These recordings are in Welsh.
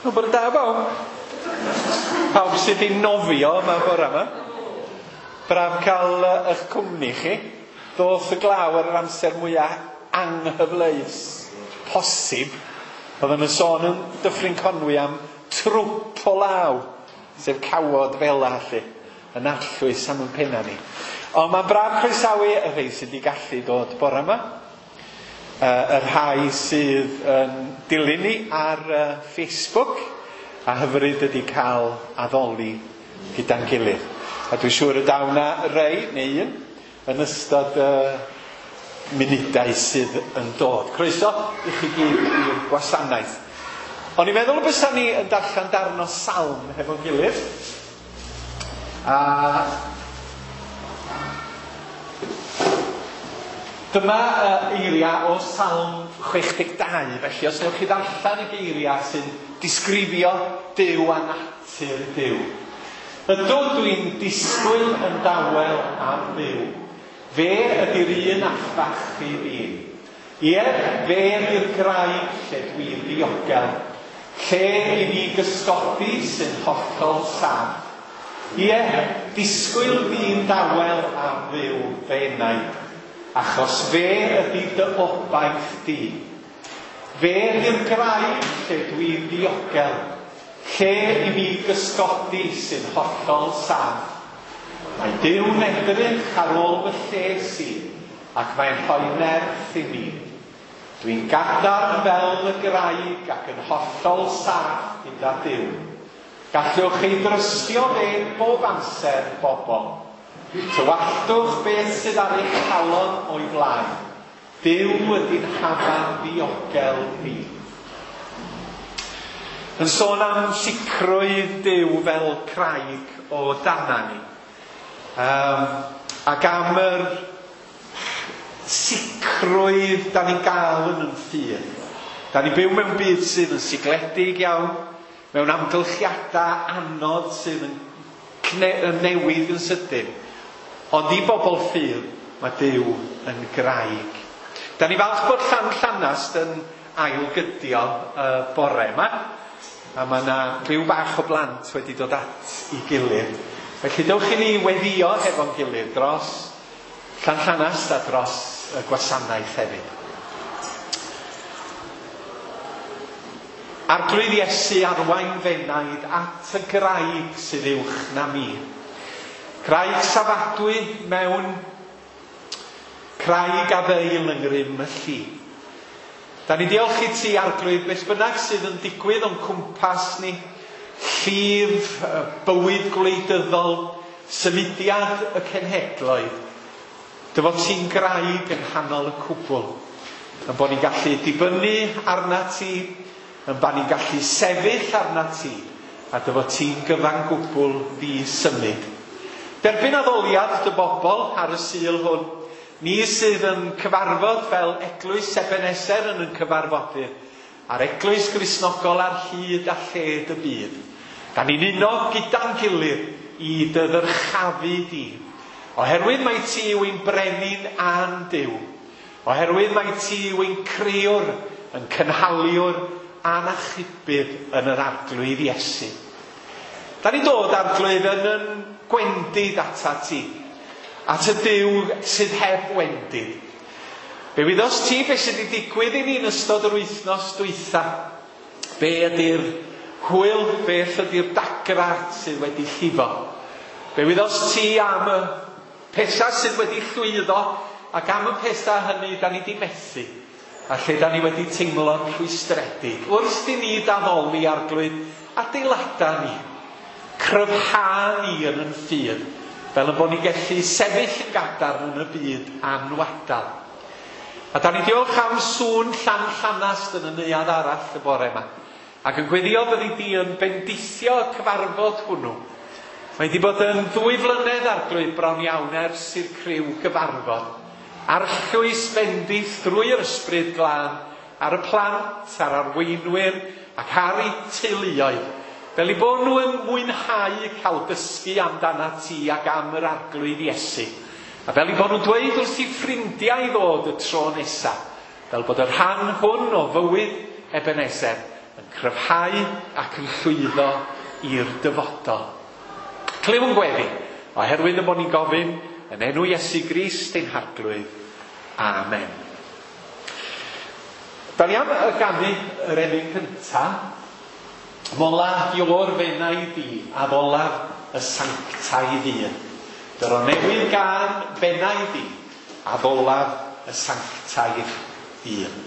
No, bore da bawb. Pawb sydd wedi nofio yma bore yma. Braf cael eich cwmni chi. Ddoth y glaw ar yr amser mwyaf anghyfleus posib. Oedden nhw'n sôn yn Dyffryn Conwy am trwp o law, sef cawod fela lly, yn arllwys am yn penna ni. Ond mae'n braf croesawu y rhai sydd wedi gallu dod bore yma. Y rhai sydd yn dilyn ni ar Facebook, a hyfryd ydy cael addoli gyda'n gilydd. A dwi'n siŵr y daw 'na rei, neu un, yn ystod y munudau sydd yn dod. Croeso i chi gyd i'r gwasanaeth. O'n i'n meddwl y bysa ni yn darllen darn o salm hefo'n gilydd. A dyma eiriau o Salm 62, felly os newch chi ddarllen y geiriau sy'n disgrifio Duw a natur Duw. Ydw, dwi'n disgwyl yn dawel am Dduw. Fe ydy'r un allfach i fi. Ie, fe ydy'r graig lle dwi'n ddiogel, lle i mi gysgodi sy'n hollol saff. Ie, disgwyl fi'n dawel am Dduw fy enaid, achos fe ydy dy obaith di. Fe ydy'r graig lle dwi'n ddiogel, lle i mi gysgodi sy'n hollol saff. Mae Duw'n edrych ar ôl fy lles i, ac mae'n rhoi nerth i mi. Dwi'n gadarn fel y graig ac yn hollol saff gyda Duw. Gallwch chi drystio fe bob amser, bobl. Tywalltwch beth sydd ar eich calon o'i flaen. Duw ydy'n hafan ddiogel ni. Yn sôn am sicrwydd Duw fel craig o dana ni. Ac am yr sicrwydd da ni'n gael yn yn ffydd. Da ni'n byw mewn byd sydd yn sigledig iawn, mewn amgylchiadau anodd sydd yn newid yn sydyn. Ond i bobl ffydd, mae Duw yn graig. Da ni falch bod Llanllanast yn ailgydio y bore yma. A mae yna rhyw bach o blant wedi dod at ei gilydd. Felly dewch i ni weddio hefo'n gilydd dros Llanllanast a dros y gwasanaeth hefyd. Arglwydd Iesu, arwain f'enaid at y graig sydd uwch na mi. Craig safadwy mewn craig a ddeil yng ngrym y lli. Da ni diolch i ti, Arglwydd, beth bynnag sydd yn digwydd o'n cwmpas ni, llif, bywyd gwleidyddol, symudiad y cenhedloedd, dy fod ti'n graig yng nghanol y cwbl, yn bod ni'n gallu dibynnu arna ti, yn bod ni'n gallu sefyll arna ti, a dy fod ti'n gyfan gwbl ddi-symud. Derbyn addoliad dy bobl ar y Sul hwn, ni sydd yn cyfarfod fel Eglwys Ebeneser yn yn cyfarfodydd, a'r Eglwys Gristnogol ar hyd a lled y byd. Da ni'n uno gyda'n gilydd i dy ddyrchafu di. Oherwydd mai ti yw ein brenin a'n Duw. Oherwydd mai ti yw ein crëwr, yn cynhaliwr a'n achubydd yn yr Arglwydd Iesu. Da ni'n dod, Arglwydd, yn yn gwendid atat ti, at y Duw sydd heb wendid. Fe wyddost ti beth sydd wedi digwydd i ni yn ystod yr wythnos dwytha. Be ydy'r hwyl, beth ydy'r dagra sydd wedi llifo. Fe wyddost ti am y pethau sydd wedi llwyddo ac am y pethau hynny da ni wedi methu a lle da ni wedi teimlo'n rhwystredig. Wrth i ni daddoli, Arglwydd, adeilada ni, cryfha ni yn yn ffydd, fel y bod ni'n gallu sefyll yn gadarn yn y byd anwadal. A da ni diolch am sŵn Llanllanast yn y neuadd arall y bore yma. Ac yn gweddio byddi di yn bendithio y cyfarfod hwnnw. Mae wedi bod yn 2 flynedd, Arglwydd, bron iawn ers i'r criw gyfarfod. Arllwys bendith drwy'r Ysbryd Glân ar y plant, ar arweinwyr ac ar eu teuluoedd, fel eu bod nhw yn mwynhau cael dysgu amdana ti ac am yr Arglwydd Iesu. A fel eu bod nhw'n dweud wrth i ffrindiau ddod y tro nesaf, fel bod y rhan hwn o fywyd Ebenezer yn cryfhau ac yn llwyddo i'r dyfodol. Clywn gweddi, oherwydd y bod ni'n gofyn yn enw Iesu Grist ein Harglwydd. Amen. Da ni am y ganu yr emyn cynta. Mola Iôr fenai di, a dolaf y sanctaidd un. Dyro newydd gân fenai di, a ddolaf y sanctaidd un.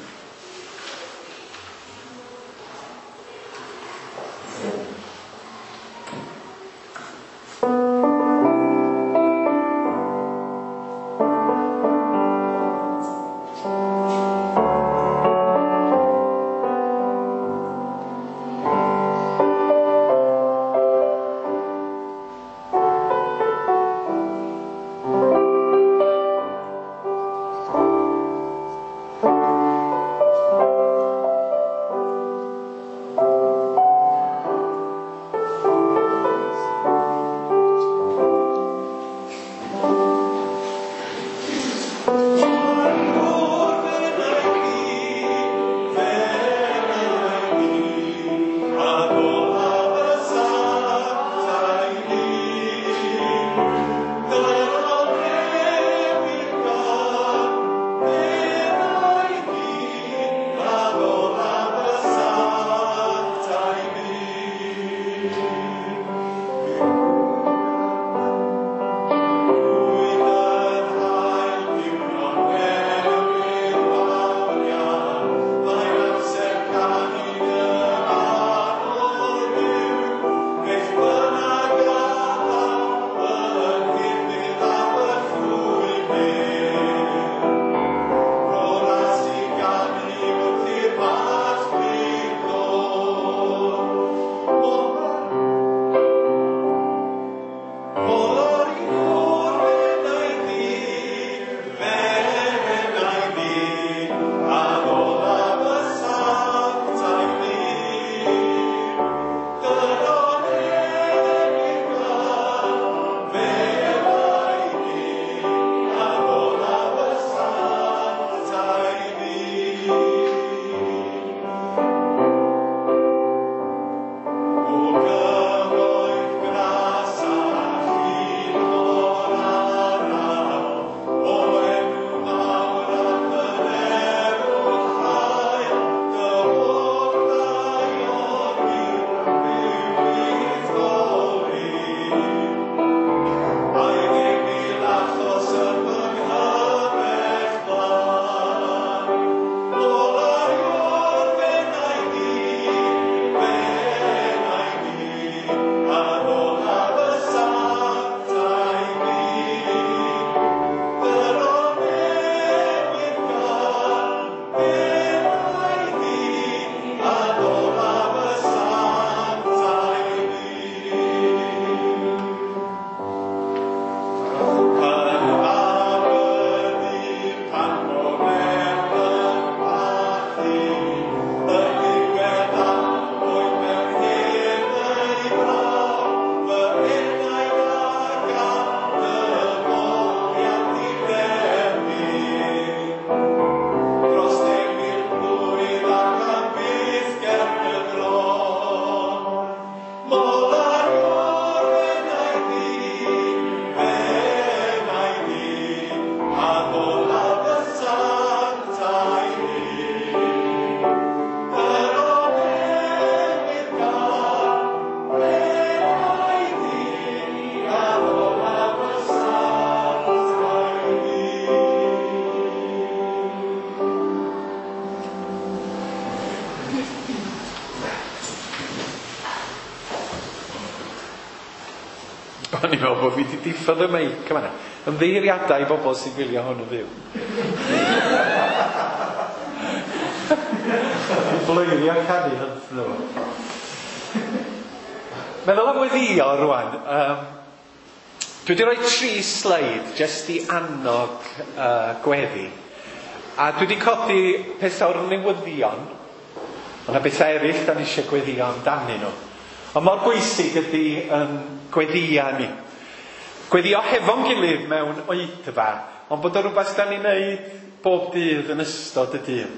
O'n i'n meddwl bod fi wedi diffodd y meic yma. Ymddiheuriadau i bobl sy'n gwylio hwn yn fyw. Bloeddio canu hwn. Meddwl am weddïo rwan. Dwi wedi rhoi 3 sleid jyst i annog gweddi. A dwi wedi codi pethau o'r newyddion. Ond yna bethau eraill da ni eisiau gweddio amdanyn nhw. Ond mor bwysig ydy gweddia ni. Gweddio hefo'n gilydd mewn oedfa, ond bod o rhywbeth da ni'n neud bob dydd yn ystod y dydd.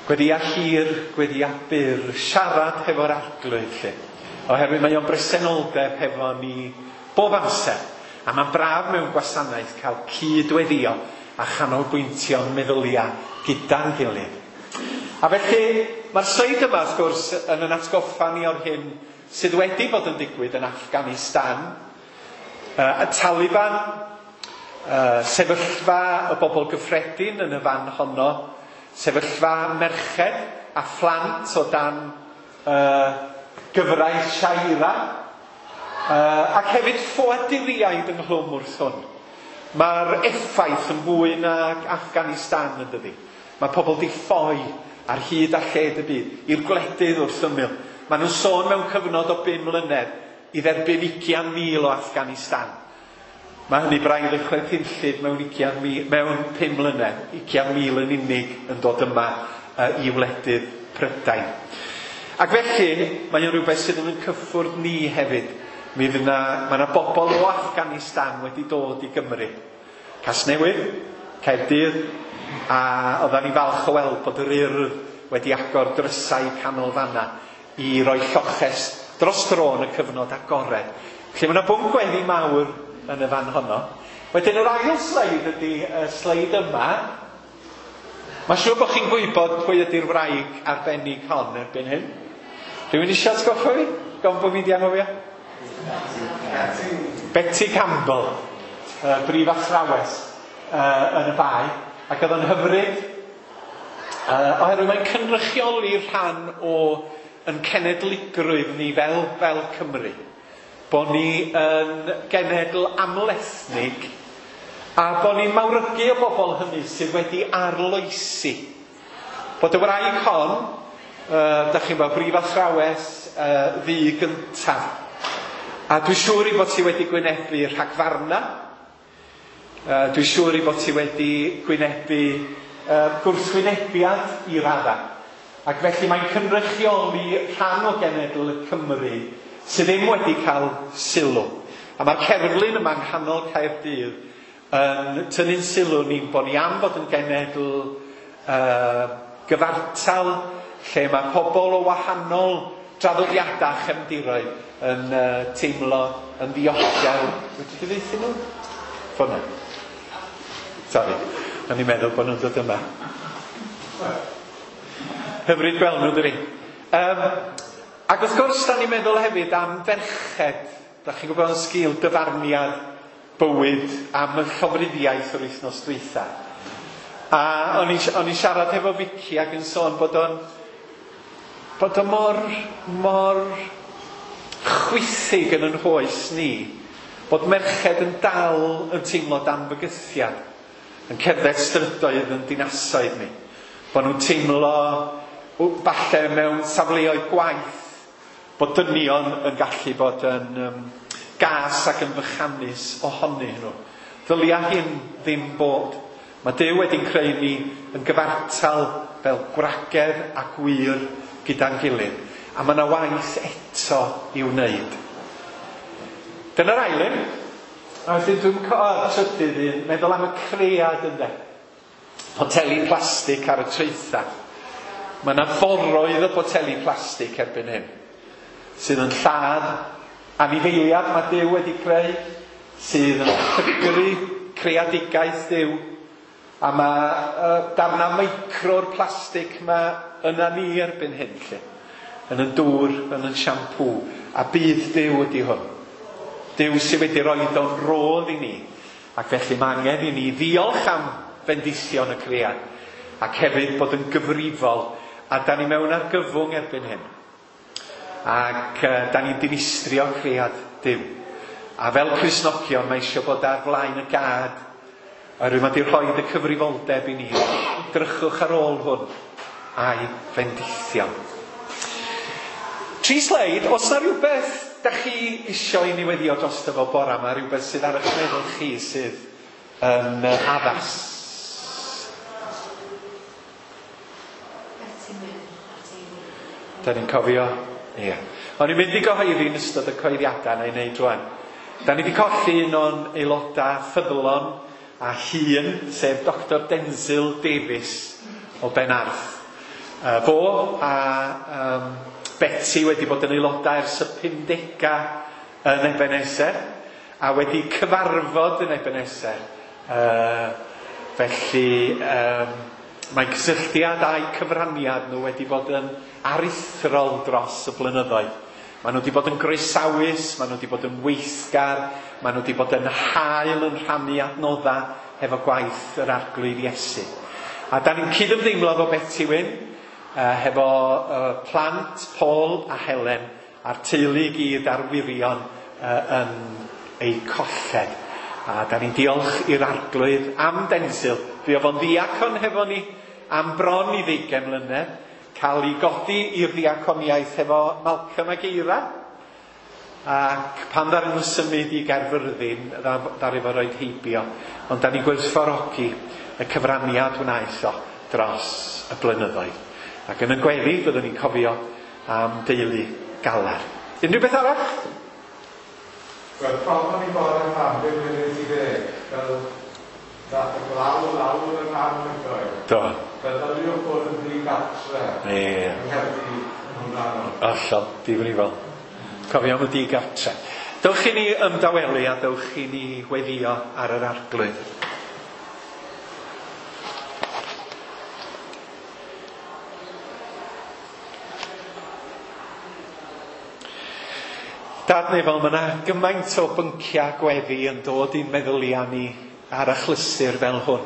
Gweddia hir, gweddia byr, siarad hefo'r Arglwydd lle. Oherwydd mae o'n bresenoldeb hefo ni bob amser. A mae'n braf mewn gwasanaeth cael cydweddio a chanolbwyntio'n meddyliau gyda'n gilydd. A felly, mae'r sleid yma, wrth gwrs, yn yn atgoffa ni o'r hyn sydd wedi bod yn digwydd yn Afghanistan. Y Taliban, sefyllfa y bobl gyffredin yn y fan honno, sefyllfa merched a phlant o dan gyfraith Sharia, ac hefyd ffoaduriaid ynghlwm wrth hwn. Mae'r effaith yn fwy nag Afghanistan yn dydi. Mae pobl di ffoi ar hyd a lled y byd i'r gwledydd wrth ymyl. Maen nhw'n sôn mewn cyfnod o 5 mlynedd i dderbyn 20,000 o Afghanistan. Mae hynny braidd yn chwerthinllyd mewn 20,000, mewn 5 mlynedd, 20,000 yn unig yn dod yma i wledydd Prydain. Ac felly, mae o'n rhywbeth sydd yn cyffwrdd ni hefyd. Mi fydd 'na, mae yna bobl o Afghanistan wedi dod i Gymru. Casnewydd, Caerdydd, a oeddan ni falch o weld bod yr Urdd wedi agor drysau canolfanna i roi lloches dros dro yn y cyfnod agored. Felly mae yna bwnc gweddi mawr yn y fan honno. Wedyn yr ail sleid ydy y sleid yma. Mae'n siŵr bod chi'n gwybod pwy ydy'r wraig arbennig hon erbyn hyn. Rhywun eisiau atgoffa fi? Gofyn bod fi 'di anghofio? Betty Campbell, brif athrawes yn y Bae, ac oedd o'n hyfryd, oherwydd mae'n cynrychioli rhan o yn cenedligrwydd ni fel Cymru. Bod ni yn genedl amlethnig a bod ni'n mawrygu y bobl hynny sydd wedi arloesi. Bod y wraig hon, da chi'n gwybod, brif athrawes ddu gyntaf. A dwi'n siŵr i bod ti wedi gwynebu rhagfarna. Dwi'n siŵr i bod ti wedi gwynebu gwrthwynebiad i radda. Ac felly mae'n cynrychioli rhan o genedl y Cymru sydd ddim wedi cael sylw. A mae'r cerflun yma yng nghanol Caerdydd yn tynnu'n sylw ni'n bod ni am fod yn genedl gyfartal, lle mae pobl o wahanol draddodiadau a chefndiroedd yn teimlo yn ddiogel. Wedi gyfieithu nhw? Ffona. Sori, o'n i'n meddwl bod nhw'n dod yma. Hyfryd gweld nhw, dydi? Ac wrth gwrs, da ni'n meddwl hefyd am ferched. Da chi'n gwybod yn sgil dyfarniad bywyd am y llofruddiaeth yr wythnos dwytha. A o'n i'n siarad hefo Vicky ac yn sôn bod o'n mor chwithig yn hoes ni, bod merched yn dal yn teimlo dan fygythiad, yn cerdded strydoedd yn dinasoedd ni. Bod nhw'n teimlo falle mewn safleoedd gwaith, bod dynion yn gallu bod yn gas ac yn fychanus ohonyn nhw. Ddylia hyn ddim bod. Mae Duw wedi'n creu ni yn gyfartal fel gwragedd a gwŷr gyda'n gilydd. A mae yna waith eto i'w wneud. Dyna'r ail un. A wedyn dwi'n trydydd un, meddwl am y cread ynde. Poteli plastig ar y traethau. Mae yna foroedd o boteli plastig erbyn hyn, sydd yn lladd anifeiliad mae Duw wedi creu, sydd yn llygru creadigaeth Duw. A mae darna micro'r plastig ma yna ni erbyn hyn, lle. Yn y dŵr, yn y siampŵ. A bydd Duw ydy hwn. Duw sydd wedi rhoi o'n rodd i ni. Ac felly mae angen i ni ddiolch am fendithion y cread. Ac hefyd bod yn gyfrifol. A da ni mewn argyfwng erbyn hyn. Ac da ni'n dinistrio cread Duw. A fel Cristnogion mae eisiau bod ar flaen y gad. Oherwydd mae wedi rhoi y cyfrifoldeb i ni. Drychwch ar ôl hwn a'i fendithion. 3 sleid, os na rhywbeth da chi isio i ni weddio drosto fo bora yma, rhywbeth sydd ar eich meddwl chi sydd yn addas. Da ni'n cofio? Ie. O'n i'n mynd i gyhoeddi yn ystod y cyhoeddiadau na i wneud rwan. Da ni wedi colli un o'n aelodau ffyddlon a hun, sef Dr Denzil Davies o Benarth. Fo a Beti wedi bod yn aelodau ers y 50au yn Ebeneser a wedi cyfarfod yn Ebeneser. Felly mae cysylltiad a'u cyfraniad nhw wedi bod yn aruthrol dros y blynyddoedd. Maen nhw wedi bod yn groesawus, maen nhw wedi bod yn weithgar, maen nhw wedi bod yn hael yn rhannu adnoddau hefo gwaith yr Arglwydd Iesu. A da ni'n cydymdeimlo efo Beti Wyn, hefo plant Paul a Helen a'r teulu i gyd a'r wyrion yn eu colled. A da ni'n diolch i'r Arglwydd am Denzil. Fuodd fo'n ddiacon hefo ni am bron i 20 mlynedd, cael ei godi i'r ddiaconiaeth hefo Malcolm ag Eira. Ac pan ddaru nhw symud i Gaerfyrddin, ddaru fo roed heibio. Ond da ni'n gwerthfawrogi y cyfraniad wnaeth o dros y blynyddoedd. Ac yn y gweddi byddwn ni'n cofio am deulu Galar. Unrhyw beth arall? Wel, problem i bod yn Llanbed munud i ddeg, fel ddath y glaw lawr yn anhygoel. Do. Meddyliwch bod yn ddigartre. Ie. Yng Nghaerdydd yn hwnna nhw. Hollol, difrifol. Cofio am y digartre. Dewch i ni ymdawelu a dewch i ni weddio ar yr Arglwydd. Dad nefol, mae yna gymaint o bynciau gweddi yn dod i'n meddyliau ni ar achlysur fel hwn.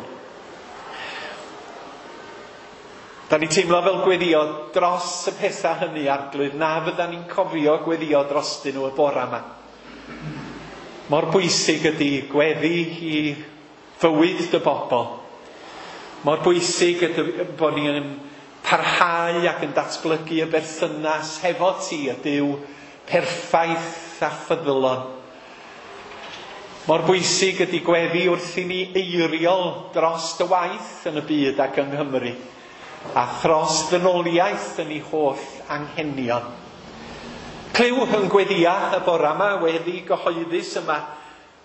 Da ni'n teimlo fel gweddio dros y pethau hynny, Arglwydd, na fydda ni'n cofio gweddio drostyn nhw y bora yma. Mor bwysig ydy gweddi i fywyd dy bobl. Mor bwysig ydy bod ni'n parhau ac yn datblygu y berthynas hefo ti, y Duw perffaith a ffyddlon. Mor bwysig ydy gweddi wrth i ni eiriol dros dy waith yn y byd ac yng Nghymru, a thros ddynoliaeth yn ei holl anghenion. Clyw yn gweddia y bora yma, weddi gyhoeddus yma,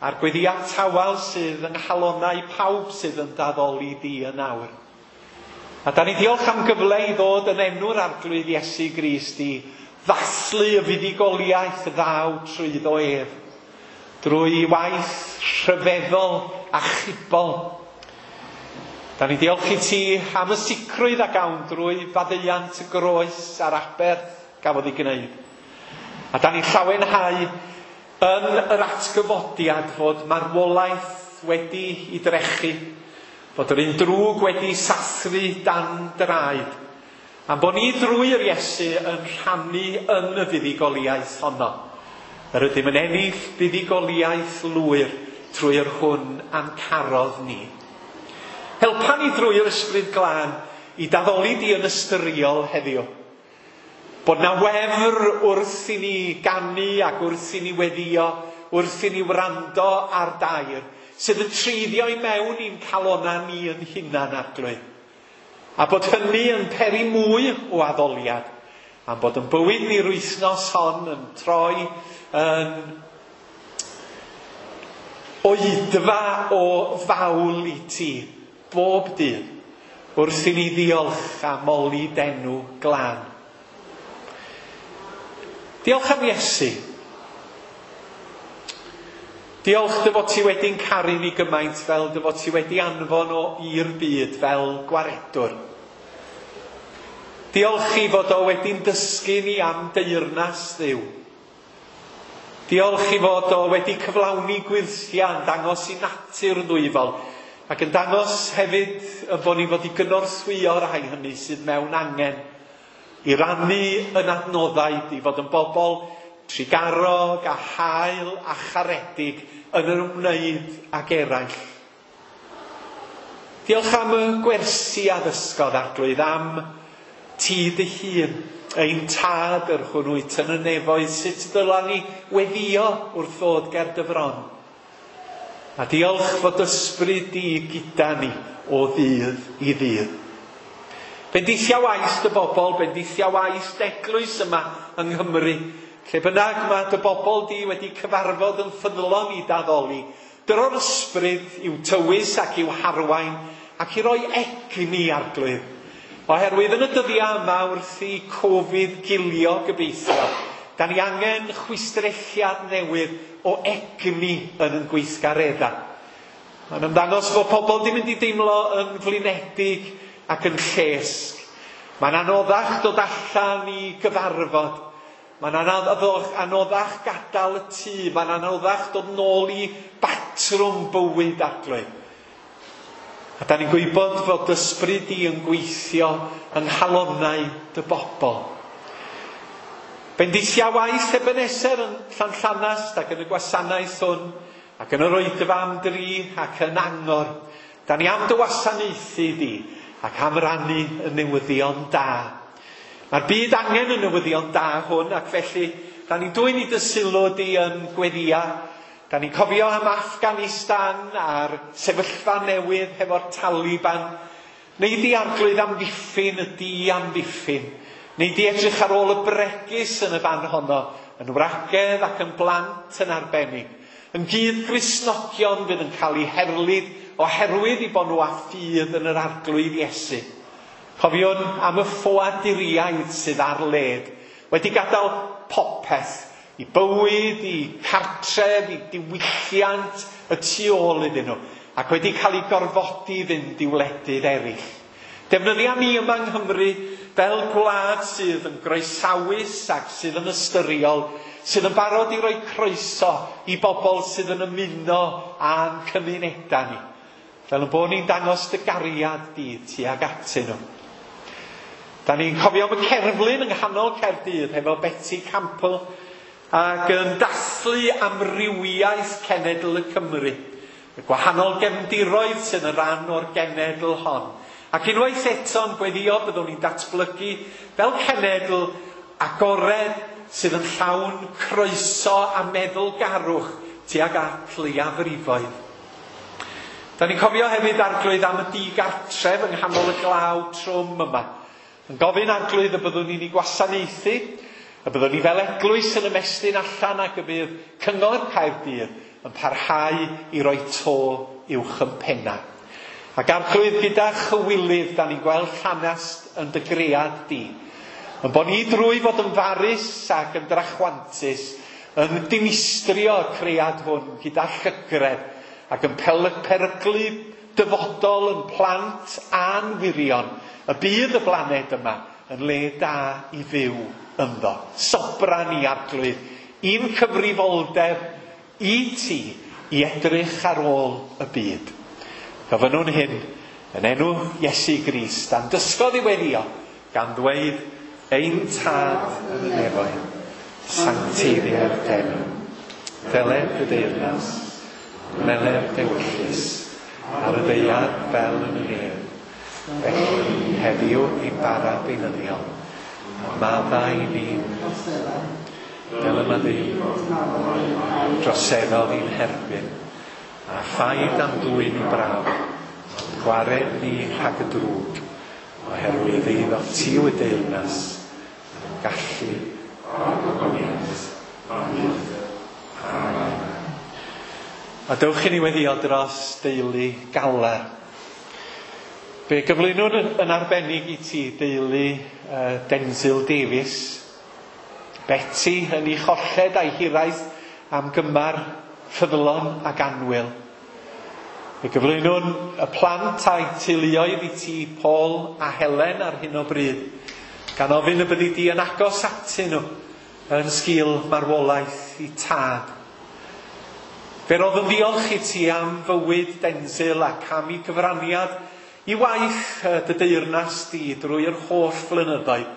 a'r gweddia tawel sydd yng nghalonnau pawb sydd yn daddoli di yn awr. A da ni diolch am gyfle i ddod yn enw'r Arglwydd Iesu Grist i ddathlu y fuddugoliaeth ddaw trwyddo ef, drwy waith rhyfeddol a chibol. Da ni diolch i ti am y sicrwydd a gawn drwy faddeuant y groes a'r aberth gafodd ei gwneud. A da ni llawenhau yn yr atgyfodiad fod marwolaeth wedi ei drechu, fod yr un drwg wedi sathru dan draed, am bod ni drwy'r Iesu yn rhannu yn y fuddugoliaeth honno. Yr ydym yn ennill buddugoliaeth lwyr trwy'r hwn a'n carodd ni. Helpa ni drwy'r Ysbryd Glân i daddoli di yn ystyriol heddiw. Bod na wefr wrth i ni ganu ac wrth i ni weddio, wrth i ni wrando ar dair, sydd yn treiddio i mewn i'n calonnau ni yn hunan, Arglwydd. A bod hynny yn peri mwy o addoliad, am bod yn bywyd ni'r wythnos hon yn troi yn oedfa o fawl i ti, bob dydd, wrth i ni ddiolch a moli d'enw glân. Diolch am Iesu. Diolch dy fod ti wedi'n caru ni gymaint fel dy fod ti wedi anfon o i'r byd fel gwaredwr. Diolch i fod o wedi'n dysgu ni am deyrnas Dduw. Diolch i fod o wedi cyflawni gwyrthiau yn dangos i natur ddwyfol ac yn dangos hefyd y bod ni fod i gynorthwyo rhai hynny sydd mewn angen, i rannu yn adnoddau, i fod yn bobl trugarog a hael a charedig yn yr ymwneud ag eraill. Diolch am y gwersi a ddysgodd, Arglwydd, am ti dy hun, ein tad yr hwn wyt yn y nefoedd, sut dyla ni weddio wrth ddod ger dy fron. A diolch fod ysbryd di gyda ni o ddydd i ddydd. Bendithia waith dy bobl, bendithia waith d'eglwys yma yng Nghymru. Lle bynnag mae dy bobl di wedi cyfarfod yn ffyddlon i daddoli, dyro'r ysbryd i'w tywys ac i'w harwain ac i roi egni, Arglwydd. Oherwydd yn y dyddiau yma wrth i Covid gilio gobeithio, da ni angen chwistrelliad newydd o egni yn ein gweithgareddau. Mae'n ymddangos fod pobl di mynd i deimlo yn flinedig ac yn llesg. Mae'n anoddach dod allan i gyfarfod. Mae'n anoddach gadael y tŷ. Mae'n anoddach dod nôl i batrwm bywyd, Arglwydd. A da ni'n gwybod fod ysbryd di yn gweithio yng nghalonnau dy bobl. Bendithia waith Ebenezer yn Llanllanast ac yn y gwasanaeth hwn, ac yn yr oedfa am dri ac yn angor. Da ni am dy wasanaethu di ac am rannu y newyddion da. Mae'r byd angen y newyddion da hwn, ac felly da ni'n dwyn i dy sylw di yn gweddia. Da ni'n cofio am Afghanistan a'r sefyllfa newydd hefo'r Taliban. Neu di, Arglwydd, amddiffyn y di amddiffyn. Neu di edrych ar ôl y bregus yn y fan honno, yn wragedd ac yn blant yn arbennig. Yn gyd Gristnogion fydd yn cael eu herlid oherwydd i bod nhw â ffydd yn yr Arglwydd Iesu. Cofiwn am y ffoaduriaid sydd ar led, wedi gadael popeth, i bywyd, i cartref, i diwylliant y tu ôl iddyn nhw, ac wedi cael eu gorfodi i fynd i wledydd eraill. Defnyddia ni yma yng Nghymru fel gwlad sydd yn groesawus ac sydd yn ystyriol, sydd yn barod i roi croeso i bobl sydd yn ymuno â'n cymunedau ni. Fel yn bod ni'n dangos dy gariad di tuag atyn nhw. Da ni'n cofio am y cerflun yng nghanol Caerdydd hefo Betty Campbell ac yn dathlu amrywiaeth cenedl y Cymru. Y gwahanol gefndiroedd sydd yn rhan o'r genedl hon. Ac unwaith eto'n gweddio byddwn ni'n datblygu fel cenedl agored sydd yn llawn croeso a meddylgarwch tuag at leiafrifoedd. Da ni'n cofio hefyd, Arglwydd, am y digartref yng nghanol y glaw trwm yma. Yn gofyn, Arglwydd, y byddwn ni'n ei gwasanaethu, y byddwn ni fel eglwys yn ymestyn allan ac y bydd Cyngor Caerdydd yn parhau i roi to uwch yn penna. Ac Arglwydd, gyda chywilydd, da ni'n gweld llanast yn dy gread di. Yn bod ni drwy fod yn farus ac yn drachwantus, yn dinistrio y cread hwn gyda llygredd ac yn peryglu dyfodol yn plant a'n wirion, y bydd y blaned yma yn le da i fyw ynddo. Sobra ni, Arglwydd, i'n cyfrifoldeb i ti i edrych ar ôl y byd. Gofynnwn hyn yn enw Iesu Grist, a'n dysgodd i weddio, gan ddweud, Ein Tad yn y nefoedd, sancteiddier d'enw. Deled dy deyrnas, gwneled d'ewyllys, ar y ddaear fel yn y nef. Felly, heddiw ein bara beunyddiol, a maddau i ni fel y maddeuwyd droseddodd i'n herbyn, a phaid am ddwyn i brawf, ond gwared ni rhag y drwg, oherwydd eiddo ti yw y deyrnas, a'r gallu, a'r gogoniant, am byth. Amen. A dewch i ni weddio dros deulu Galar. Fe gyflwynwn yn arbennig i ti deulu Denzil Davies, Betty yn ei cholled a'i hiraeth am gymar ffyddlon ac annwyl. Fe gyflwynwn y plant a'i teuluoedd i ti, Paul a Helen, ar hyn o bryd, gan ofyn y byddi di yn agos atyn nhw yn sgil marwolaeth i tad. Fe roedd yn ddiolch i ti am fywyd Denzil ac am ei gyfraniad i waith dy deyrnas di drwy'r holl flynyddoedd,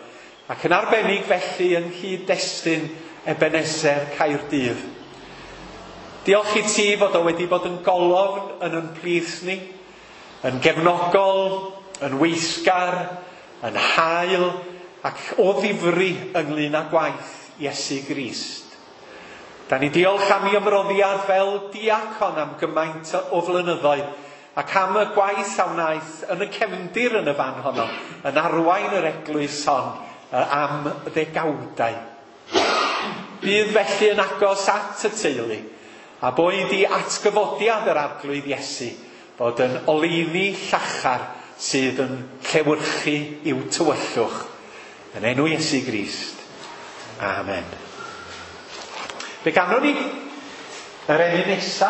ac yn arbennig felly yng nghyd-destun Ebenezer Caerdydd. Diolch i ti fod o wedi bod yn golofn yn ein plith ni, yn gefnogol, yn weithgar, yn hael ac o ddifri ynglyn â gwaith Iesu Grist. Da ni diolch am ei ymroddiad fel diacon am gymaint o flynyddoedd ac am y gwaith a wnaeth yn y cefndir yn y fan honno, yn arwain yr eglwys hon am ddegawdau. Bydd felly yn agos at y teulu, a boed i atgyfodiad yr Arglwydd Iesu fod yn oleuni llachar sydd yn llewyrchu i'w tywyllwch. Yn enw Iesu Grist. Amen. Fe ganwn ni yr emyn nesa,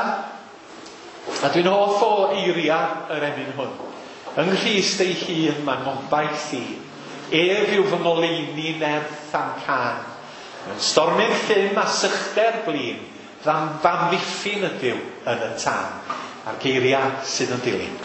a dwi'n hoff o eiria yr emyn hwn. Yng Nghrist ei hun mae'n ngobaith i. Ef yw fy ngoleuni nerth a'm cân. Yn stormydd llym a sychder blin, f'amddiffyn ydyw yn y tân. A'r geiriau sydd yn dilyn.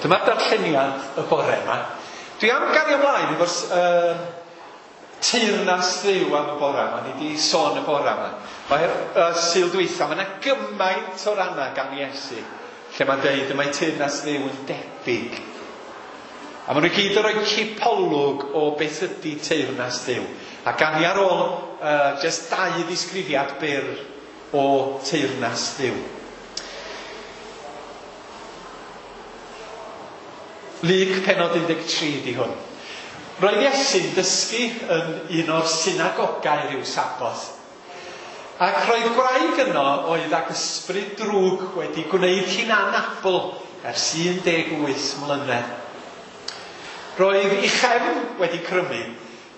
Dyma'r darlleniad y bore yma. Dwi am gario ymlaen efo'r teyrnas Dduw am y bore yma. Ni wedi sôn y bore yma. Mae'r Sul dwytha, mae yna gymaint o rannau gan Iesu lle mae'n deud y mae teyrnas Dduw yn debyg. A maen nhw gyd yn rhoi cipolwg o beth ydy teyrnas Dduw. A gan i ar ôl just dau ddisgrifiad byr o teyrnas Dduw. Luc pennod 13 di hwn. Roedd Iesu'n dysgu yn un o'r synagogau rhyw Saboth. Ac roedd gwraig yno oedd ag ysbryd drwg wedi gwneud hi'n anabl ers 18 mlynedd. Roedd ei chefn wedi crymu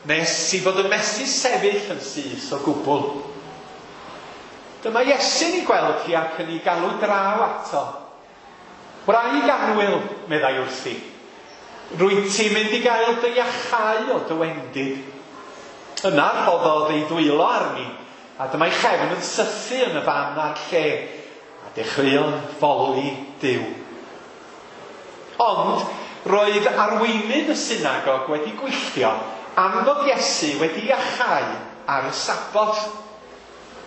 nes i fod yn methu sefyll yn syth o gwbl. Dyma Iesu'n ei gweld hi ac yn ei galw draw ato. Wraig annwyl, meddai wrthi, rwyt ti'n mynd i gael dy iachau o dy wendid. Yna rhoddodd ei ddwylo arni, a dyma'i chefn yn sythu yn y fan a'r lle, a dechreuodd foli Duw. Ond roedd arweinydd y synagog wedi gwylltio am fod Iesu wedi iachau ar y Saboth.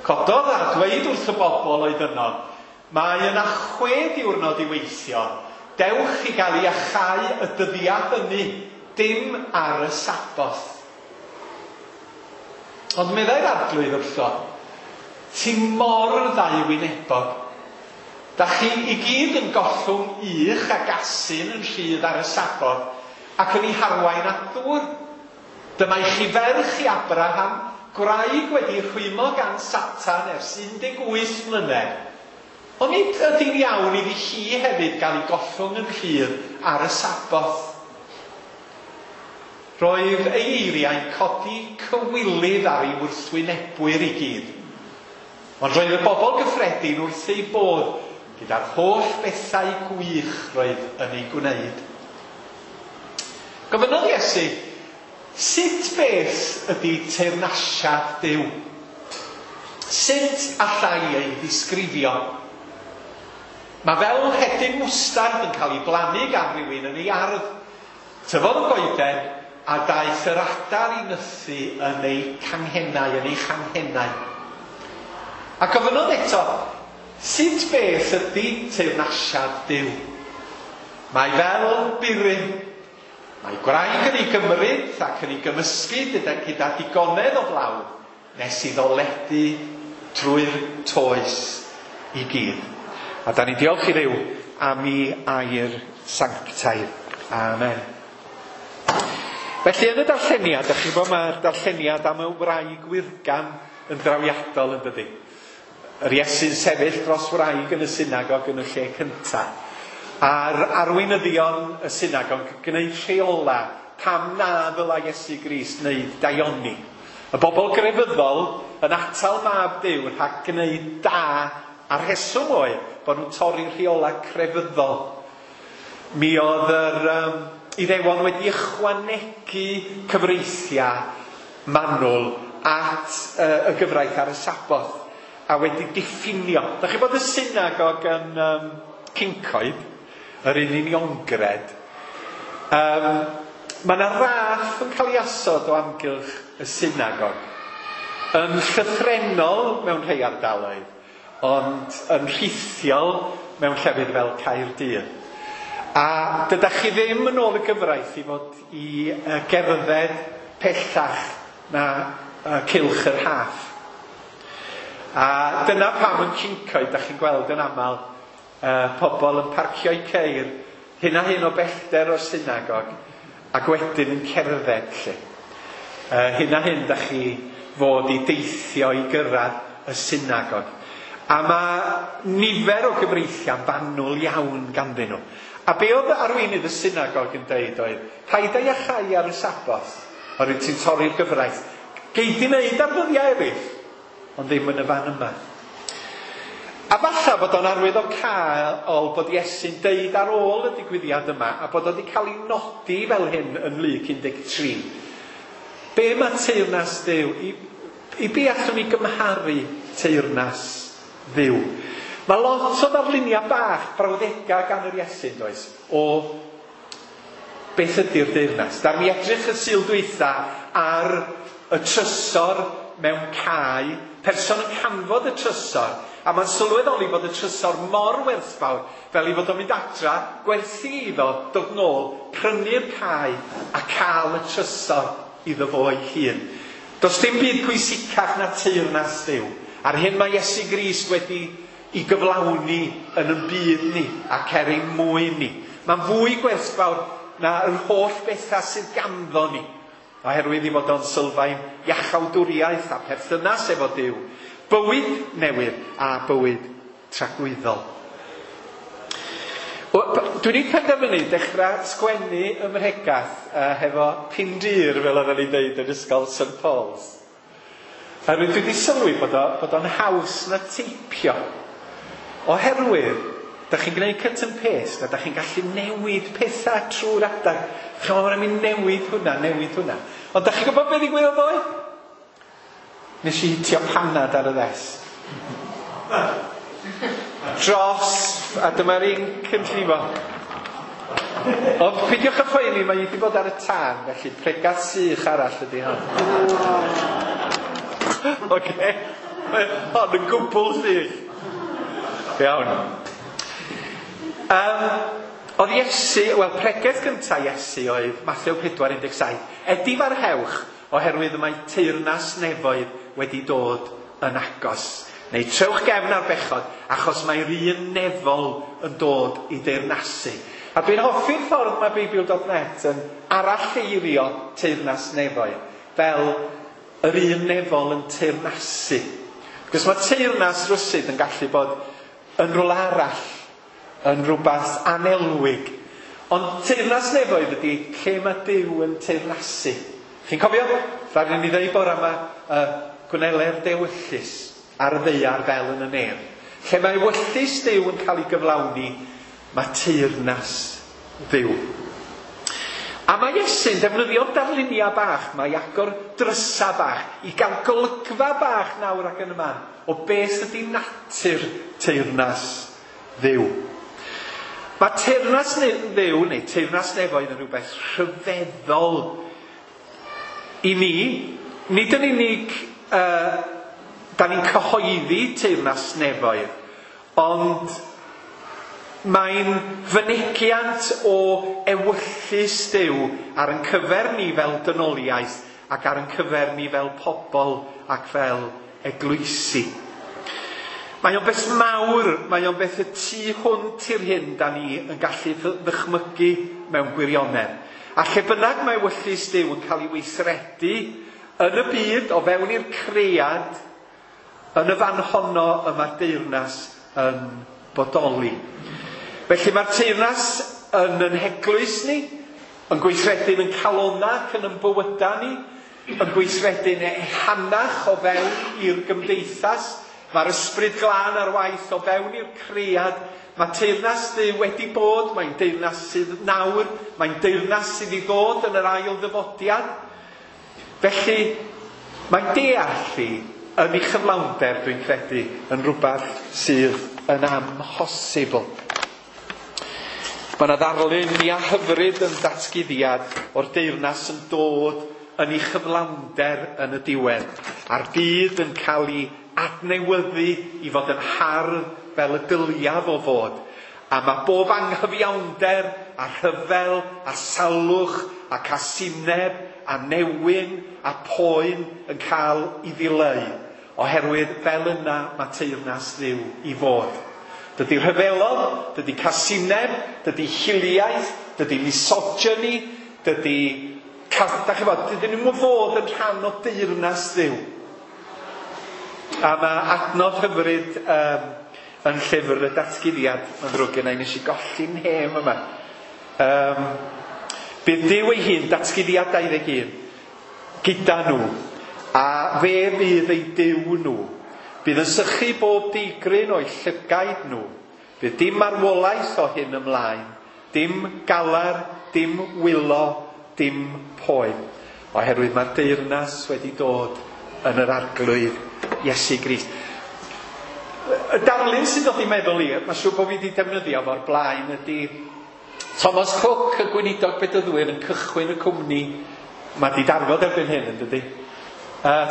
Cododd a dweud wrth y bobl oedd yno, mae yna 6 diwrnod i weithio, dewch i gael iachau y dyddiau hynny, dim ar y Saboth. Ond meddai'r Arglwydd wrtho, ti mor ddauwynebog. Da chi i gyd yn gollwng ych ac asyn yn rhydd ar y Saboth ac yn ei harwain at ddŵr. Dyma i chi ferch i Abraham, gwraig wedi rhwymo gan Satan ers 18 mlynedd. Ond nid ydy'n iawn iddi hi hefyd gael ei gollwng yn rhydd ar y Saboth. Roedd ei eiriau'n codi cywilydd ar ei wrthwynebwyr i gyd. Ond roedd y bobl gyffredin wrth ei bodd gyda'r holl bethau gwych roedd yn ei gwneud. Gofynnodd Iesu, sut beth ydy teyrnasiad Duw? Sut allai ei ddisgrifio? Mae fel hedyn mwstard yn cael ei blannu gan rywun yn ei ardd. Tyfodd y goeden a daeth yr adar i nythu yn ei canghennau, yn ei changhennau. A gofynnodd eto, sut beth ydy teyrnasiad Duw? Mae fel burum. Mae gwraig yn ei gymryd ac yn ei gymysgu gyda digonedd o blawd nes iddo ledu trwy'r toes i gyd. A da ni'n diolch i Dduw am ei air sanctaidd. Amen. Felly yn y darlleniad, da chi'n gwybod mae'r darlleniad am y wraig wyrgam yn drawiadol yn dydi? Yr Iesu'n sefyll dros wraig yn y synagog yn y lle cyntaf. A'r arweinyddion y synagog yn gwneud rheola pam na ddylai Iesu Grist wneud daioni. Y bobl grefyddol yn atal mab Duw rhag gwneud da, a'r rheswm oedd bod nhw'n torri rheola crefyddol. Mi oedd yr Iddewon wedi ychwanegu cyfreithiau manwl at y gyfraith ar y Saboth a wedi diffinio. Da chi bod y synagog yn Cyncoed, yr un uniongred, mae yna raff yn cael ei osod o amgylch y synagog. Yn llythrennol mewn rhai ardaloedd, ond yn rhithiol mewn llefydd fel Caerdydd. A dydach chi ddim yn ôl y gyfraith i fod i gerdded pellach na cylch yr haff. A dyna pam yn Cyncoed, dach chi'n gweld yn aml pobl yn parcio'u ceir hyn a hyn o bellter o'r synagog ac wedyn yn cerdded lle. Hyn a hyn dach chi fod i deithio i gyrraedd y synagog. A mae nifer o gyfreithiau fanwl iawn ganddyn nhw. A be oedd arweinydd y synagog yn deud oedd, paid â iachau ar y Saboth, oherwydd ti'n torri'r gyfraith. Gei di wneud ar ddyddiau eraill, ond ddim yn y fan yma. A falle bod o'n arwyddocaol bod Iesu'n deud ar ôl y digwyddiad yma, a bod o wedi cael ei nodi fel hyn yn Luc 13. Be mae teyrnas Duw? I be allwn ni gymharu teyrnas Dduw? Mae lot o ddarluniau bach, brawddegau gan yr Iesu, does, o beth ydy'r deyrnas. Da ni edrych y Sul dwytha ar y trysor mewn cae, person yn canfod y trysor, a mae'n sylweddoli bod y trysor mor werthfawr fel ei fod o'n mynd adra, gwerthu iddo, dod nôl, prynu'r cae a cael y trysor iddo fo ei hun. Does dim byd pwysicach na teyrnas Duw. A'r hyn mae Iesu Grist wedi i gyflawni yn ein byd ni ac er ein mwyn ni. Mae'n fwy gwerthfawr na yr holl bethau sydd ganddo ni. Oherwydd i fod o'n sylfaen iachawdwriaeth a perthynas efo Duw. Bywyd newydd a bywyd tragwyddol. Dwi wedi penderfynu dechrau sgwennu ym mhregath hefo pindur, fel oedden ni'n deud yn ysgol St Paul's. Oherwydd dwi wedi sylwi bod o'n haws na teipio. Oherwydd, da chi'n gwneud cut and paste a da chi'n gallu newid pethau trwy'r adag. Chi'n meddwl, mae'n mynd newid hwnna, newid hwnna. Ond da chi'n gwybod beth ddigwyddodd ddoe? Nes i hitio panad ar y ddesg. Dros, a dyma'r inc yn llifo. Ond peidiwch â phoeni, mae wedi bod ar y tân, felly pregath sych arall ydy hon. Oce, mae hon yn gwbl sych. Iawn. Oedd Iesu, wel, pregeth gyntaf Iesu oedd Mathew 4:17. Edifarhewch, oherwydd y mae teyrnas nefoedd wedi dod yn agos. Neu trewch gefn ar bechod, achos mae'r un nefol yn dod i deyrnasu. A dwi'n hoffi'r ffordd mae Beibl.net yn aralleirio teyrnas nefoedd, fel yr un nefol yn teyrnasu. Cos mae teyrnas rywsut yn gallu bod yn rhywle arall, yn rhywbeth anelwig. Ond teyrnas nefoedd ydy lle mae Duw yn teyrnasu. Chi'n cofio? Rhaid i ni ddeud bore yma, gwneler dewyllys ar y ddaear fel yn y nef. Lle mae ewyllys Duw yn cael ei gyflawni, mae teyrnas Dduw. A mae Iesu'n defnyddio darluniau bach, mae agor drysa bach, i gael golygfa bach nawr ac yn y man, o beth ydy natur teyrnas Dduw. Mae teyrnas Dduw, neu teyrnas nefoedd, yn rhywbeth rhyfeddol i ni. Nid yn unig da ni'n cyhoeddi teyrnas nefoedd, ond mae'n fynegiant o ewyllys Duw ar ein cyfer ni fel dynoliaeth ac ar ein cyfer ni fel pobl ac fel eglwysi. Mae o'n beth mawr, mae o'n beth y tu hwnt i'r hyn da ni yn gallu ddychmygu mewn gwirionedd. A lle bynnag mae ewyllys Duw yn cael ei weithredu yn y byd, o fewn i'r cread, yn y fan honno y mae'r deyrnas yn bodoli. Felly mae'r teyrnas yn ein heglwys ni, yn gweithredu'n ein calonnau ac yn ein bywydau ni, yn gweithredu'n ehangach o fewn i'r gymdeithas. Mae'r ysbryd glân ar waith o fewn i'r cread. Mae teyrnas Dduw wedi bod, mae'n deyrnas sydd nawr, mae'n deyrnas sydd i ddod yn yr ail ddyfodiad. Felly, mae deall hi yn ei chyflawnder, dwi'n credu, yn rhywbeth sydd yn amhosibl. Mae yna ddarlun mwya hyfryd yn datguddiad o'r deyrnas yn dod yn ei chyflawnder yn y diwedd, a'r byd yn cael ei adnewyddu i fod yn hardd fel y dyliaf o fod. A mae bob anghyfiawnder a rhyfel a salwch a casineb a newyn a poen yn cael ei ddileu, oherwydd fel yna mae teyrnas Dduw i fod. Dydy rhyfelodd, dydy casineb, dydy hiliaeth, dydy misogyny, dydy... Da chi fod, dydyn nhw'n fod yn rhan o deyrnas Dduw. A mae adnod hyfryd yn llyfr y datguddiad, mae'n ddrwg genna i, nes i golli'n hem yma. Bydd Duw ei hun, datguddiad 21, gyda nhw, a fe fydd eu Duw nhw. Bydd yn sychu bob digryn o'i llygaid nhw. Bydd dim marwolaeth o hyn ymlaen, dim galar, dim wylo, dim poen. Oherwydd mae'r deyrnas wedi dod yn yr Arglwydd Iesu Grist. Y darlun sy'n dod i meddwl i, mae'n siŵr bod fi wedi defnyddio fo'r blaen, ydy Thomas Cook, y gweinidog bedyddwyr, yn cychwyn y cwmni. Mae di darfod erbyn hyn, yn dydy?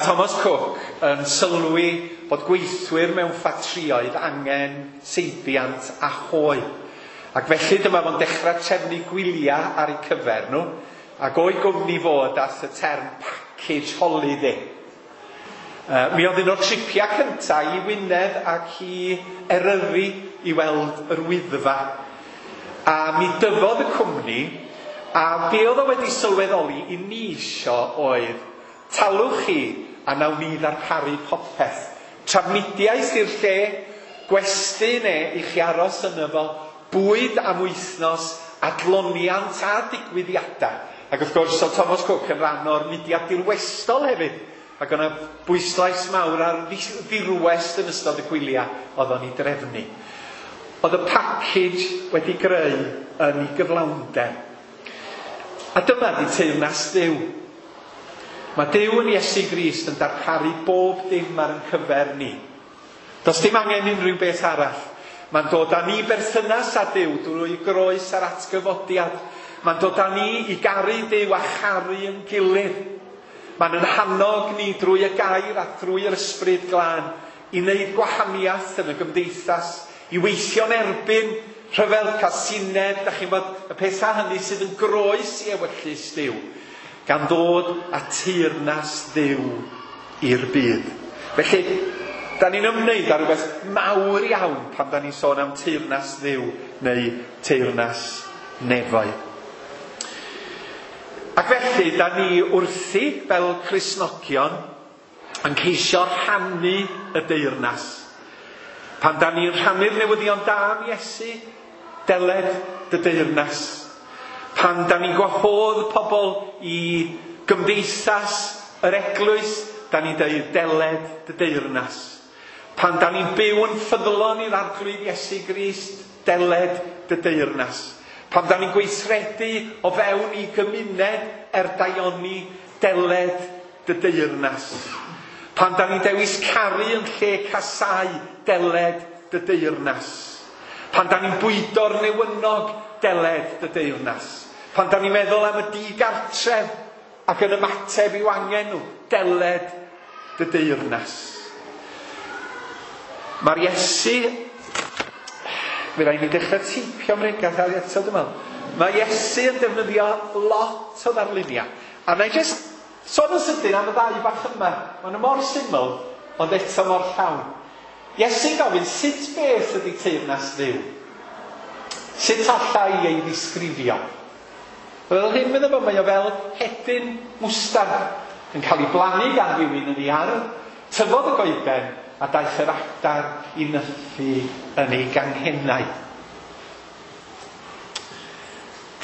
Thomas Cook yn sylwi bod gweithwyr mewn ffatrïoedd angen seibiant a hoe. Ac felly dyma fo'n dechrau trefnu gwyliau ar eu cyfer nhw, ac o'i gwmni fod at y term package holiday. Mi oedd un o'r tripiau cyntaf i Wynedd ac i Eryri i weld yr Wyddfa. A mi dyfodd y cwmni, a be oedd o wedi sylweddoli i ni isio oedd, talwch chi a nawn ni ddarparu popeth. Trafnidiaeth i'r lle, gwesty neu i chi aros yno fo, bwyd am wythnos, adloniant a digwyddiadau. Ac wrth gwrs, oedd Thomas Cook yn rhan o'r mudiad dirwestol hefyd. Ac o'na bwyslais mawr ar ddirwest yn ystod y gwyliau oedd o'n ei drefnu. Oedd y package wedi greu yn ei gyflawnder. A dyma di teyrnas Dduw. Mae Duw yn Iesu Grist yn darparu bob dim ar ein cyfer ni. Does dim angen unrhyw beth arall. Mae'n dod â ni berthynas â Duw drwy groes a'r atgyfodiad. Mae'n dod â ni i garu Duw a charu yn gilydd. Mae'n yn hannog ni drwy y gair a drwy yr ysbryd glân i wneud gwahaniaeth yn y gymdeithas, i weithio'n erbyn rhyfel casineb, da chi'n bod y pethau hynny sydd yn groes i ewyllys Duw, gan ddod â teyrnas Dduw i'r byd. Felly, da ni'n ymwneud â rhywbeth mawr iawn pan da ni'n sôn am teyrnas Dduw neu teyrnas nefoedd. Ac felly, da ni wrthi fel Cristnogion yn ceisio rhannu y deyrnas. Pan da ni'n rhannu'r newyddion da am Iesu, deled dy deyrnas. Pan da ni'n gwahodd pobl i gymdeithas yr eglwys, da ni'n dweud deled dy deyrnas. Pan da ni'n byw yn ffyddlon i'r Arglwydd Iesu Grist, deled dy deyrnas. Pan da ni'n gweithredu o fewn i gymuned er daioni, deled dy deyrnas. Pan da ni'n dewis caru yn lle casau, deled dy deyrnas. Pan da ni'n bwydo'r newynog, deled dy deyrnas. Pan da ni'n meddwl am y digartref ac yn ymateb i'w angen nhw, deled dy deyrnas. Mae'r Iesu. Mi rai ni dechrau teipio am regath ar eto, dwi'n meddwl. Mae Iesu yn defnyddio lot o ddarluniau. A na i jyst sôn yn sydyn am y ddau bach yma. Maen nhw mor syml, ond eto mor llawn. Iesu'n gofyn, sut beth ydy teyrnas Dduw? Sut alla i ei ddisgrifio? Fel hyn, meddwl fo, mae o fel hedyn mwstard yn cael ei blannu gan rywun yn ei ardd, tyfodd y goeden a daeth yr adar i nythu yn ei ganghennau.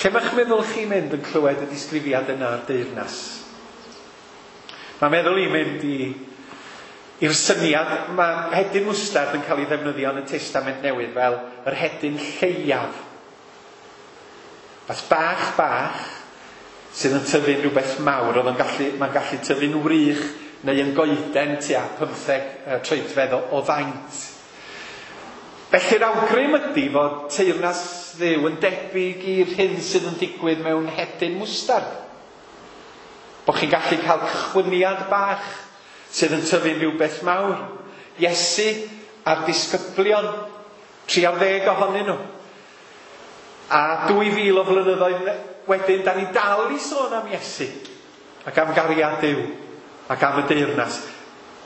Lle mae'ch meddwl chi'n mynd yn clywed y disgrifiad yna o'r deyrnas? Mae'n meddwl i'n mynd i'r syniad, mae hedyn mwstard yn cael ei ddefnyddio yn y Testament Newydd fel yr hedyn lleiaf. Fath bach bach sydd yn tyfu'n rhywbeth mawr, oedd yn gallu, mae'n gallu tyfu'n wrych neu yn goeden tua 15 troedfedd o faint. Felly'r awgrym ydy fod teyrnas Dduw yn debyg i'r hyn sydd yn digwydd mewn hedyn mwstard. Bo chi'n gallu cael cychwyniad bach sydd yn tyfu'n rhywbeth mawr. Iesu a'r disgyblion, 30 ohonyn nhw. A 2000 o flynyddoedd wedyn, da ni dal i sôn am Iesu ac am gariad Duw ac am y deyrnas.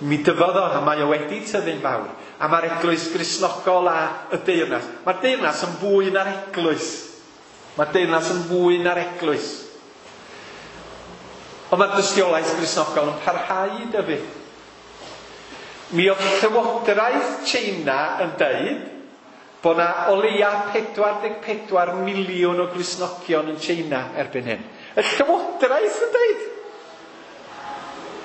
Mi dyfodd o, a mae o wedi tyfu'n fawr. A mae'r eglwys Gristnogol a y deyrnas. Mae'r deyrnas yn fwy na'r eglwys. Mae'r deyrnas yn fwy na'r eglwys. Ond mae'r dystiolaeth Gristnogol yn parhau i dyfu. Mi oedd Llywodraeth China yn deud bod na o leia 44 miliwn o Gristnogion yn China erbyn hyn. Y Llywodraeth yn deud.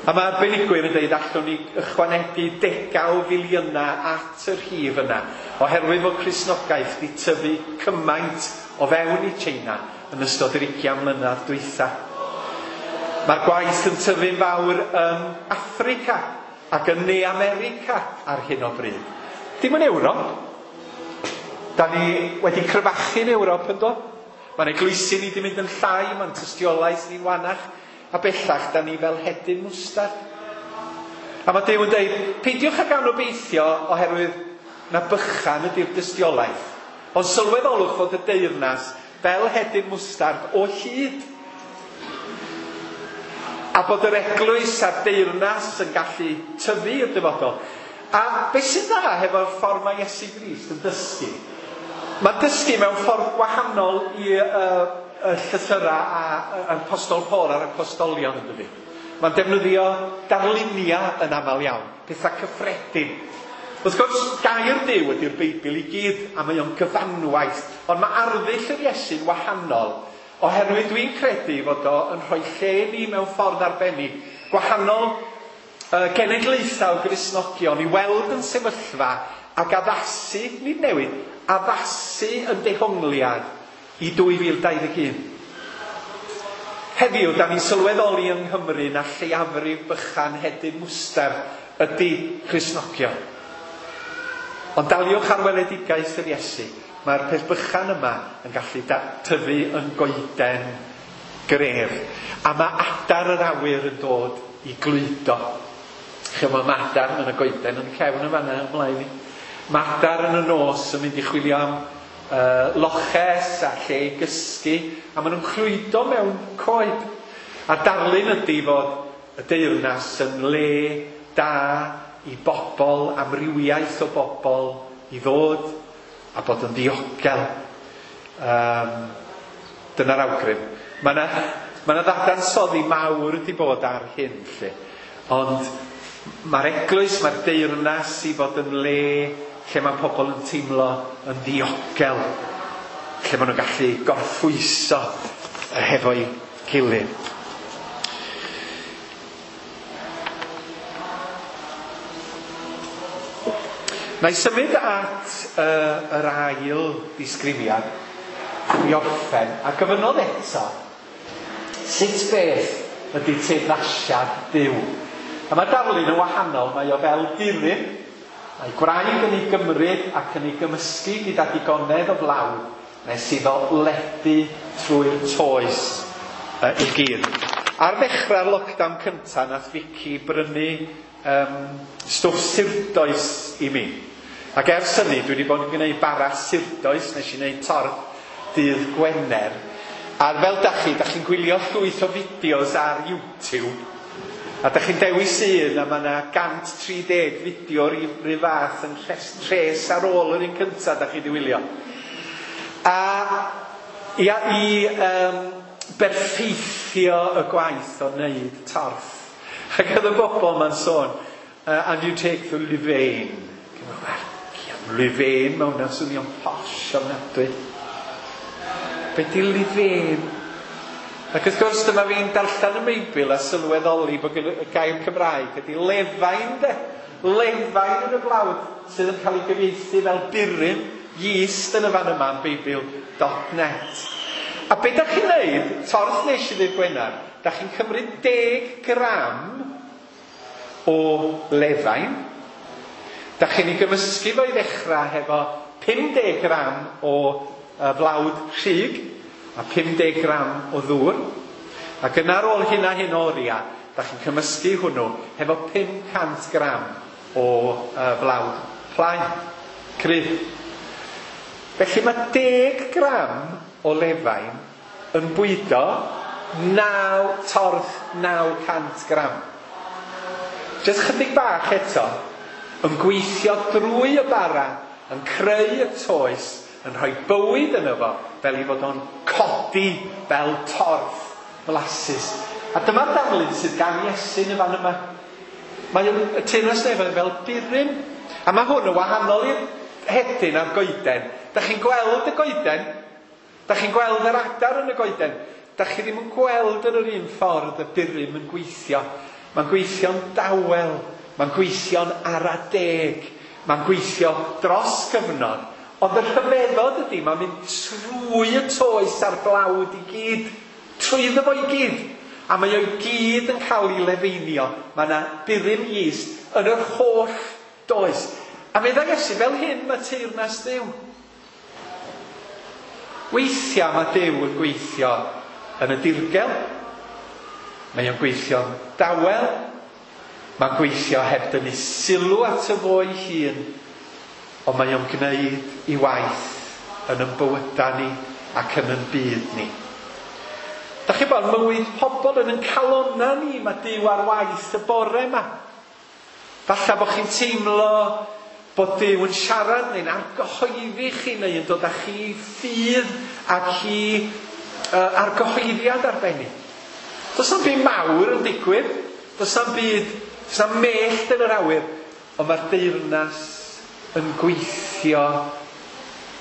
A mae arbenigwyr yn deud allwn ni ychwanegu degau o filiynau at y rhif yna, oherwydd fod Cristnogaeth wedi tyfu cymaint o fewn i China yn ystod yr 20 mlynedd dwytha. Mae'r gwaith yn tyfu'n fawr yn Affrica ac yn Ne America ar hyn o bryd. Dim yn Ewrop. Da ni wedi cryfachu'n Ewrop, yndo? Mae'n eglwysi ni wedi mynd yn llai, mae'n tystiolaeth ni'n wanach, a bellach da ni fel hedyn mwstard. A mae Duw yn deud, peidiwch ag anobeithio oherwydd na bychan ydy'r dystiolaeth. Ond sylweddolwch fod y deyrnas fel hedyn mwstard o hyd. A bod yr eglwys a'r deyrnas yn gallu tyfu i'r dyfodol. A beth sy'n dda hefo'r ffordd mae Iesu Grist yn dysgu? Mae'n dysgu mewn ffordd gwahanol i y llythyrau a yr Apostol Paul a'r apostolion, yn dydi? Mae'n defnyddio darluniau yn aml iawn, pethau cyffredin. Wrth gwrs, gair Duw ydy'r Beibl i gyd, a mae o'n gyfanwaith, ond mae arddull yr Iesu'n wahanol, oherwydd dwi'n credu fod o yn rhoi lle ni mewn ffordd arbennig, gwahanol genedlaethau o Gristnogion i weld yn sefyllfa ac addasu, nid newid, addasu yn dehongliad i 2021. Heddiw, da ni'n sylweddoli yng Nghymru na lleiafrif bychan hedyn mwster ydy Cristnogion. Ond daliwch ar weledigaeth yr Iesu, mae'r peth bychan yma yn gallu tyfu yn goeden gref. A mae adar yr awyr yn dod i glwydo. Chymod, mae adar yn y goeden yn cefn yn fanna ymlaen i. Mae adar yn y nos yn mynd i chwilio am loches a lle i gysgu, a maen nhw'n clwydo mewn coed. A darlun ydy fod y deyrnas yn le da i bobl, amrywiaeth o bobl i ddod a bod yn ddiogel. Dyna'r awgrym. Mae yna ddadansoddi mawr wedi bod ar hyn, lle. Ond mae'r eglwys, mae'r deyrnas i fod yn le lle mae pobl yn teimlo yn ddiogel, lle maen nhw'n gallu gorffwyso hefo'i gilydd. Na i symud at yr ail ddisgrifiad i orffen, a gofynnodd eto, sut beth ydy teyrnasiad Duw? A mae darlun yn wahanol, mae o fel burum, mae gwraig yn ei gymryd ac yn ei gymysgu gyda digonedd o flawd, nes iddo ledu trwy'r toes i gyd. Ar ddechrau'r lockdown cyntaf, nath Vicky brynu stwff surdoes i mi. Ac ers hynny, dwi wedi bod yn gwneud bara surdoes, nes i wneud torth dydd Gwener. A fel da chi'n gwylio llwyth o fideos ar YouTube, a da chi'n dewis un, a mae yna 130 fideo rhyw fath yn rhes ar ôl yr un cyntaf da chi wedi wylio. A i berffeithio y gwaith o wneud torth. Ac oedd y bobl ma'n sôn, and you take the levain. Levain, mae hwnna'n swnio'n posh ofnadwy. Be di levain? Ac wrth gwrs dyma fi'n darllen y Beibl a sylweddoli bod y gair Cymraeg ydy lefain de. Lefain yn y blawd sydd yn cael ei gyfieithu fel burum, yeast yn y fan yma yn Beibl.net. A be da chi'n neud, torth nes i ddydd Gwener, da chi'n cymryd 10 gram o lefain. Da chi'n ei gymysgu fo i ddechrau hefo 50 gram o flawd rhug a 50 gram o ddŵr. Ac yna ar ôl hyn a hyn o oriau, da chi'n cymysgu hwnnw hefo 500 gram o flawd plaen, cryf. Felly mae 10 gram o lefain yn bwydo 9 torth 900 gram. Jyst chydig bach eto, yn gweithio drwy y bara, yn creu y toes, yn rhoi bywyd yno fo, fel i fod o'n codi fel torth flasus. A dyma'r darlun sydd gan Iesu yn y fan yma. Mae y teyrnas nefoedd fel burum. A mae hwn yn wahanol i'r hedyn a'r goeden. Da chi'n gweld y goeden, da chi'n gweld yr adar yn y goeden, da chi ddim yn gweld yn yr un ffordd y burum yn gweithio. Mae'n gweithio'n dawel, mae'n gweithio'n ara deg, mae'n gweithio dros gyfnod. Ond y rhyfeddod ydy, mae'n mynd trwy y toes a'r blawd i gyd, trwyddo fo i gyd. A mae o'i gyd yn cael ei lefeinio. Mae yna burum yeast yn yr holl does. A meddai Iesu, fel hyn mae teyrnas Dduw. Weithiau mae Duw yn gweithio yn y dirgel. Mae o'n gweithio'n dawel. Mae'n gweithio heb dynnu sylw ato fo ei hun. Ond mae o'n gwneud i waith yn ein bywydau ni ac yn ein byd ni. Da chi bod mywyd pobl yn ein calonnau ni, mae Duw ar waith y bore yma. Falle bod chi'n teimlo bod Duw yn siarad neu'n argyhoeddi chi neu yn dod â chi ffydd ac i argyhoeddiad arbennig. Does na'm byd mawr yn digwydd. Does na'm byd, does na'm mellt yn yr awyr, ond mae'r deyrnas yn gweithio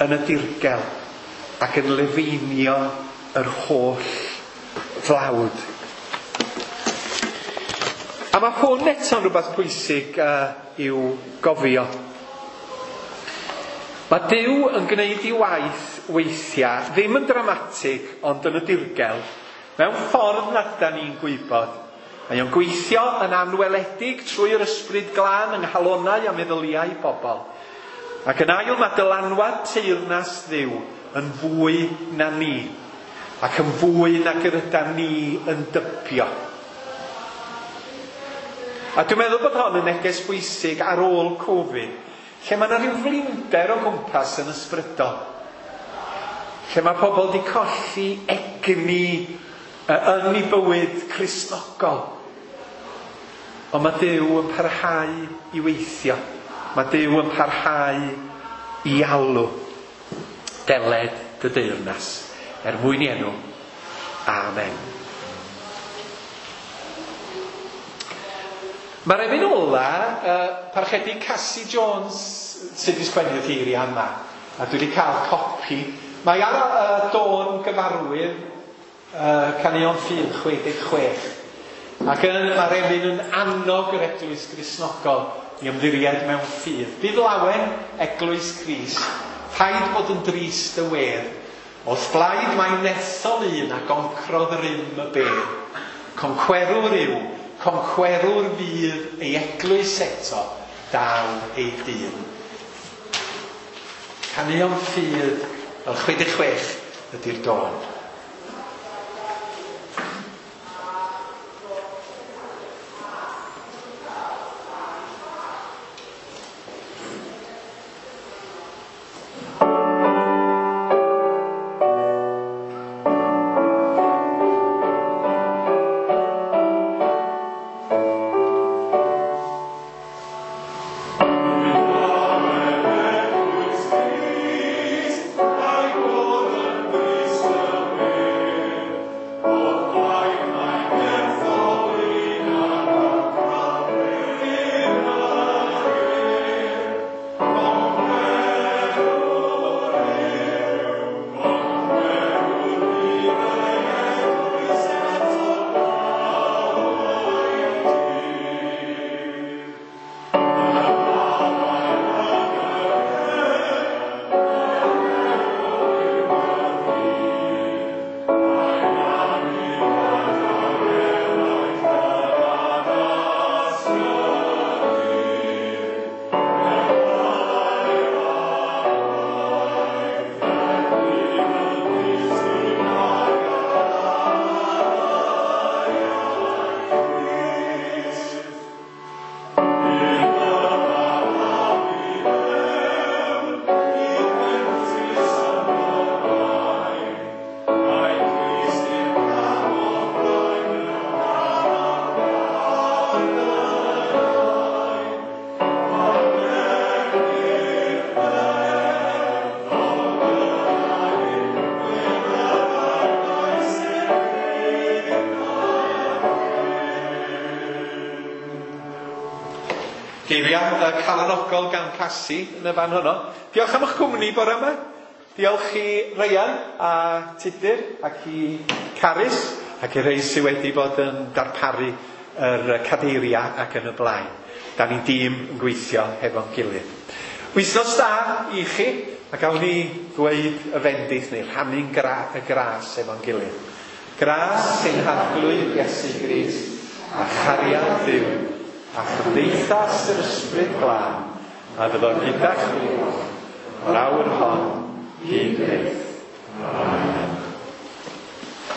yn y dirgel ac yn lefeinio yr holl flawd. A mae hwn eto'n rhywbeth pwysig i'w gofio. Mae Duw yn gwneud ei waith weithiau, ddim yn dramatig, ond yn y dirgel, mewn ffordd nad ydan ni'n gwybod. Mae o'n gweithio yn anweledig trwy'r ysbryd glân yng nghalonnau a meddyliau bobl. Ac yn ail, mae dylanwad teyrnas Dduw yn fwy na ni, ac yn fwy nag yr ydan ni yn dybio. A dwi'n meddwl bod hon yn neges bwysig ar ôl Covid, lle mae yna rhyw flinder o gwmpas yn ysbrydol. Lle mae pobl wedi colli egni yn ei bywyd Cristnogol. Ond mae Duw yn parhau i weithio. Mae Duw yn parhau i alw. Deled dy deyrnas, er mwyn i enw. Amen. Mae'r emyn ola, parchedig Cassie Jones sydd wedi sgwennu'r geiriau yma, a dwi wedi cael copi. Mae ar y dôn gyfarwydd, Caneuon Ffydd 66. Ac yn, mae'r emyn yn annog yr Eglwys Gristnogol i ymddiried mewn ffydd. Bydd lawen Eglwys Crist, rhaid bod yn drist y wedd. Wrth blaid mae nethol un a goncrodd rym y bedd. Concwerwr yw, concwerwr fydd ei eglwys eto, daw ei dyn. Caneuon Ffydd, fel 66 ydy'r dôn. Geiriau calanogol gan Cassie yn y fan honno. Diolch am eich cwmni bore yma. Diolch i Ryan a Tudur ac i Carys ac i rei sydd wedi bod yn darparu yr cadeiriau ac yn y blaen. Da ni'n dîm yn gweithio hefo'n gilydd. Wythnos da i chi, a gawn ni ddweud y fendith neu rhannu'n y gras efo'n gilydd. Gras sy'n Harglwydd Iesu Grist a chariad Duw a chymdeithas yr Ysbryd Glân, a fyddo gyda chwi o'r awr hon hyd byth.